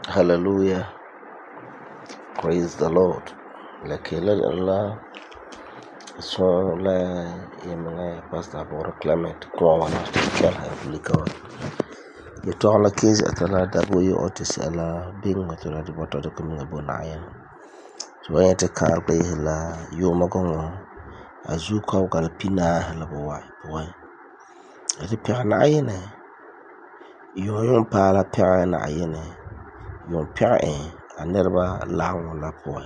Hallelujah. Praise the Lord. Lakela Allah. So la yemanga Pastor Bora Clement kwa wana tikal hablika. Yetola kizi atala dabu yo otis ala bing atala di bota de kuminga bonaya. So yete kalpe la yo magongo azuka ukal pina la boy. Ati pia na ayene. Yo yon pala pia na ayene. Yon pia anerba lawo la boy.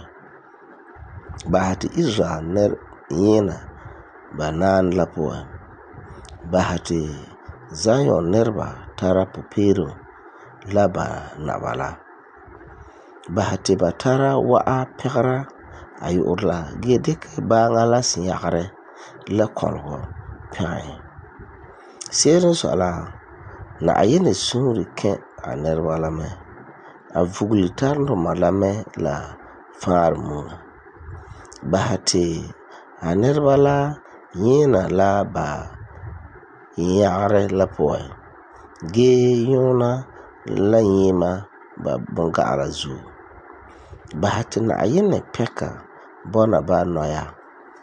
Bahati Israel ner yena banan la boy. Bahati Zion nerba tara pupiro laba nabala. Bahati batara wa'a pekara ayu urla gedik banga la sinyakare la kolgo pyae. Seren so ala na ayene suri ken a nerba la me a vuglitarno malame la farmu. Bahati a nerba la yena la ba yare la poe. Ge yona la yima ba bunga ala zu. Bahati na ayene peka bona ba noya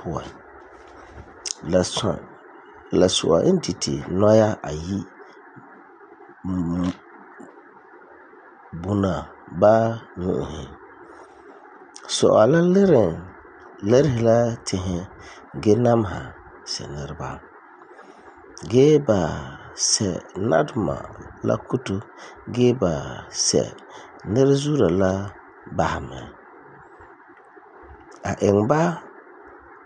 poe. La sua entity noya ayi buna ba nuhi. So ala lerhila tihe genamha senerba. Geba se nadma la kutu geba se nerzura la bahame. A engba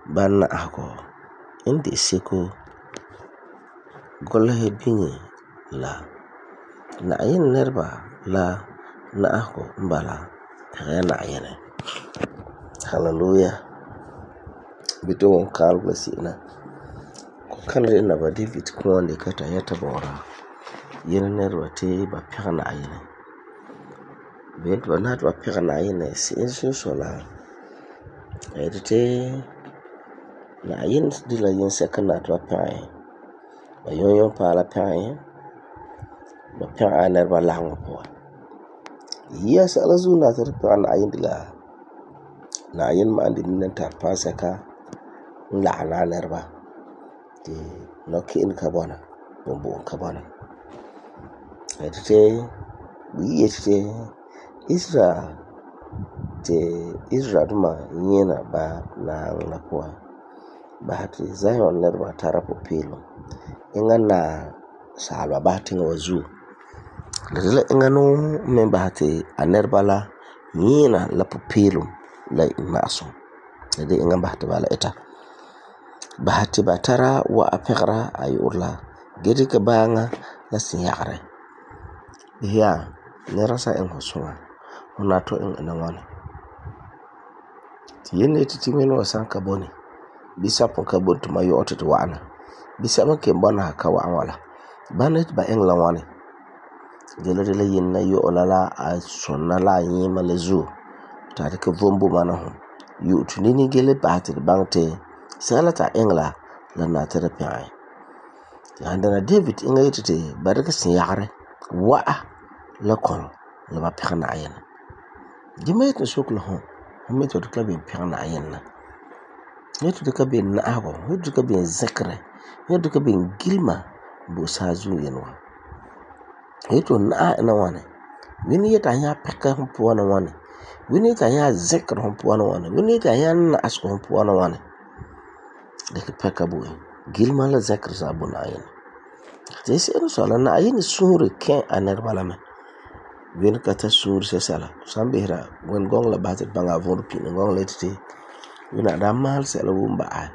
bana ako indi seko golhe bingi la na ayin nerba la na ako mbala na ayene. Hallelujah. Bito won kal blessina. Kanre na ba David kwande kata yata bora. Yene nerwa te ba pika na ayene. Bento ba nat ba pika na ayene si insu sola. Edite na ayene dila yin sekana to pa. Ba yon pa la pa. Ba pika nerba lango po. Yes ala zuna ta pa na ayene dila. Na ayene ma andi minanta pa saka la na nerba. Di noki in kabona bombo kabona edite wiyete Israel duma yena ba na la poa bahati Zion nerba tara popilo ingana salwa bahati ngawazu dele ingano men bahati anerba la yena la popilo la imaso dede ingan bahati bala eta Bahati batara wa apekra ay urla gedi ke banga la sinyakre ya nerasa en hosuma unato en nawana tiyene titimeno sanka boni bisa pon ka bontu mayo ototo wana bisa make mbona ka wa wala banet ba en lawane gelere yinna yo olala a sonna la yima lezu tare ke vombu manahu yu tunini gele bahati bangte salata engla la na therapy ai andana David inga yitete baraka sin yagre wa la kon la ba pekana ayena dimet no soklo ho meto de klabe pekana ayena neto de kabe na ago neto de kabe zakre neto de kabe gilma bo sazu yenwa neto na wana wini yeta nya pekka po wana wana Wini ta nya zikr hon puan wane. Wini ta nya na'asku hon puan wane. Dikk peka bo gilma la zikr sa bo Na'ayinɛ. Ti se'ere so la Na'ayinɛ suure kɛ a nɛreba la mɛ. Wini ka ta suure sɛsɛla. San behera wen gong la bahati banga vɔr pin gong la ti wina da maal sɛla won ba'ai.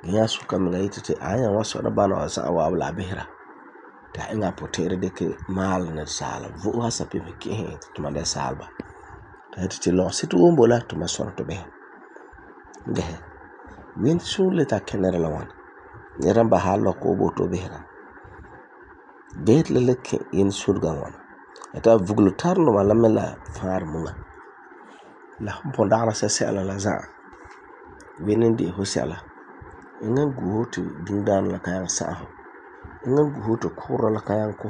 Gya suka me yiti ti aya wa so na bana wa sa wa la behera. Ta inga potere deke maal na sala. Vo ha sa pe me ke to ma da salba. Ta ti lo situ won bola to ma so to be. Ngehe. Win suule ta kenera la wan. Nera ba ha lo ko bo to behera. Bet le leke in surga wan. Eta vuglu tarno ma la mela faar munga. La ponda la sɛla la za. Winin di ho sɛla. Ingan guho to dindan la kayan sa'ho. Ingan guho to kura la kayan ko.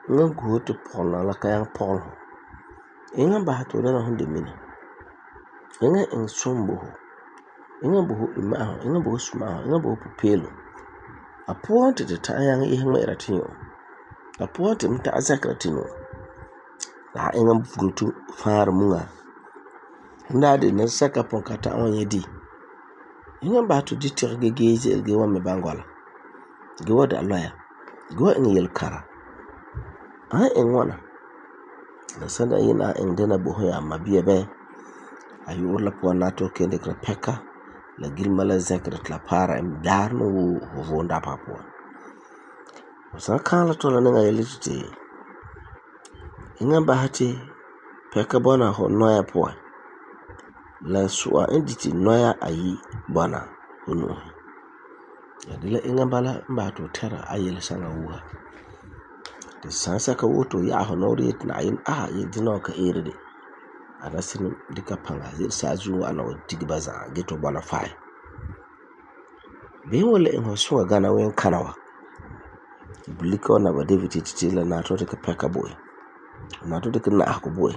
Ingan guho to ponna la kayan pol. Ingan ba to dana hunde mini. Ingan in sombo. Ingan buhu imaho, ingan buhu sumaho, ingan buhu pupelo. A puante te ta yang ihma iratinyo. A puante mta azakratino. La ingan vuglu faar munga. Ndade na saka pon kata onye di. Ingan ba to ditir gegeje ge wa me bangola. Ge wa da loya. Ge wa in yel kara. In wana. Na sanda ina in dena buho ya mabiya be. Ayu urla puan nato kende kra peka. La gilma la zekret la para im dar no wo vonda pa puan. Sa kan la to la nga yeliti. Ingan ba hati peka bona ho noya puan. La su'a inditi noya ayi bana hunu. Yadila inga bala mba to tera ayel sanga wuha. Te sansa ka woto ya honori et na ayin yedino ka erede. Adasin dika panga zir sazu ana wadigibaza geto bana fai. Be wala in hosuwa gana wen kanawa. Bulika na ba David titila na to dika peka boy. Na to dika na ako boy.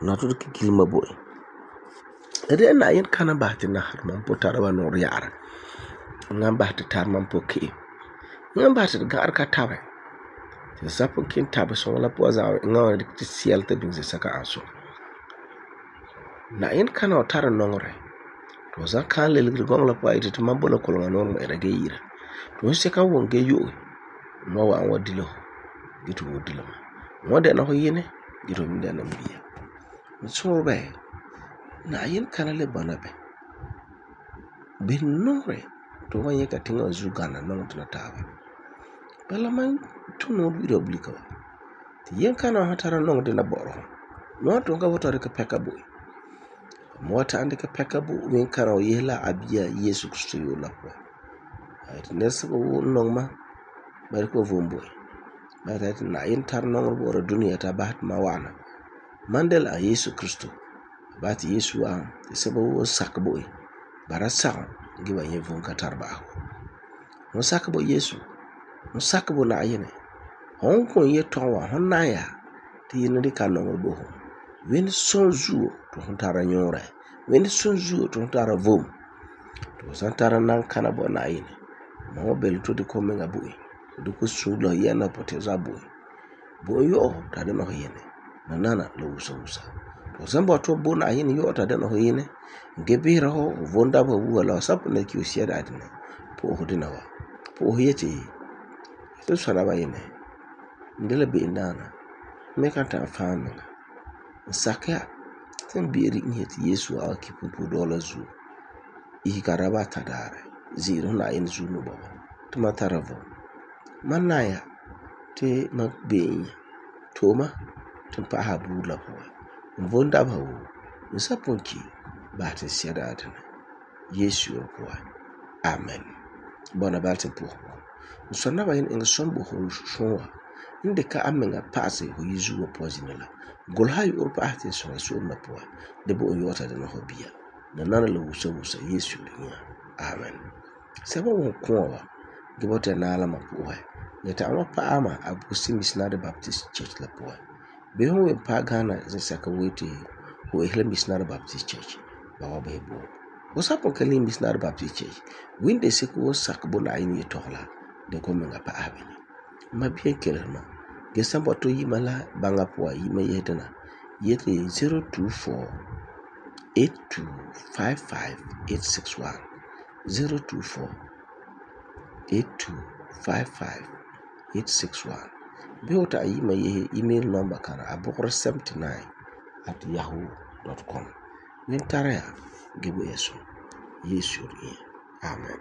Na to dika gilma boy. Ede na yin kana bahti na harman po tarawa nor yara. Ngam bahti tarman po ki. Ngam bahti gar ka tawe. Te sapo kin tabe so la po za ngam dik ti sial te bin saka aso. Na yin kana tara nongre. To za kan le gong la po ite mambo la kolonga nor mo erage yira. To se ka won ge yo. Mo wa an wadilo. Gitu wadilo. Mo de na ho yene. Gitu mi de na mbiya. So be. Na yin kana le banabe. Bin nore to wanye ka tinga zugana nong tuna tawa. Bala man tuno bido blika wa. Ti yin kana hatara nong de na boro. Mo to nga wotare ka peka boy. Mo ta ande ka peka bo wen kana o yela abiya Yesu Kristo yo la po. Ait nesa ko nong ma bari ko vomboy. Bari na yin tar nong boro duniya ta bahat ma wana. Mandela a Yesu Kristo. Bati Yesu a sebo wo sakbo bara sa giba ye vun katarba mo sakbo Yesu mo sakbo na ayene hon ko ye tonwa hon na ya ti yin di kan no bo wen sonzu to hon tara nyore wen sonzu to hon tara vom to santara nan kana bo na ayene mo bel to di ko menga boy do ko sulo yana pote za boy bo yo ta de no yene nana lo usa to zambo to bona yin yota da no yine gebira ho vonda ba wala sap na ki usia da adina po ho dinawa po ho yete to sara ba yine ndele be ndana me kan ta fami sakya tan biri nyeti Yesu a ki pupu dola zu I karaba tadare zero na yin zu no ba to mataravo manaya te magbe toma tumpa ha bula po Vonda ba wo nsaponki ba te siada adana Yesu ko amen bona ba te po nsonna ba yin sombo ho shwa inde ka amenga pase ho yizu wo pozinela gol hay urpa ate so na po de bo yota de no hobia na nana lo wusa Yesu linya amen sabo wo ko wa gibota na ala mapo ya ta ama pa ama abusi missionary baptist church la po be ho we pa Ghana ze saka wete ho ehla missionary baptist church ba wa be bo o sapo kali missionary baptist church winde se ko sakbo na yin tohla de ko menga pa abini ma bien kelma ge sambo to yimala banga po yima yedana yeti 024-8255-861 024-8255-861. Bii fu ta'am yi ma yese email number kana abogre79@yahoo.com. Min tara ya ge bo ya sum. Yesu yire. Amen.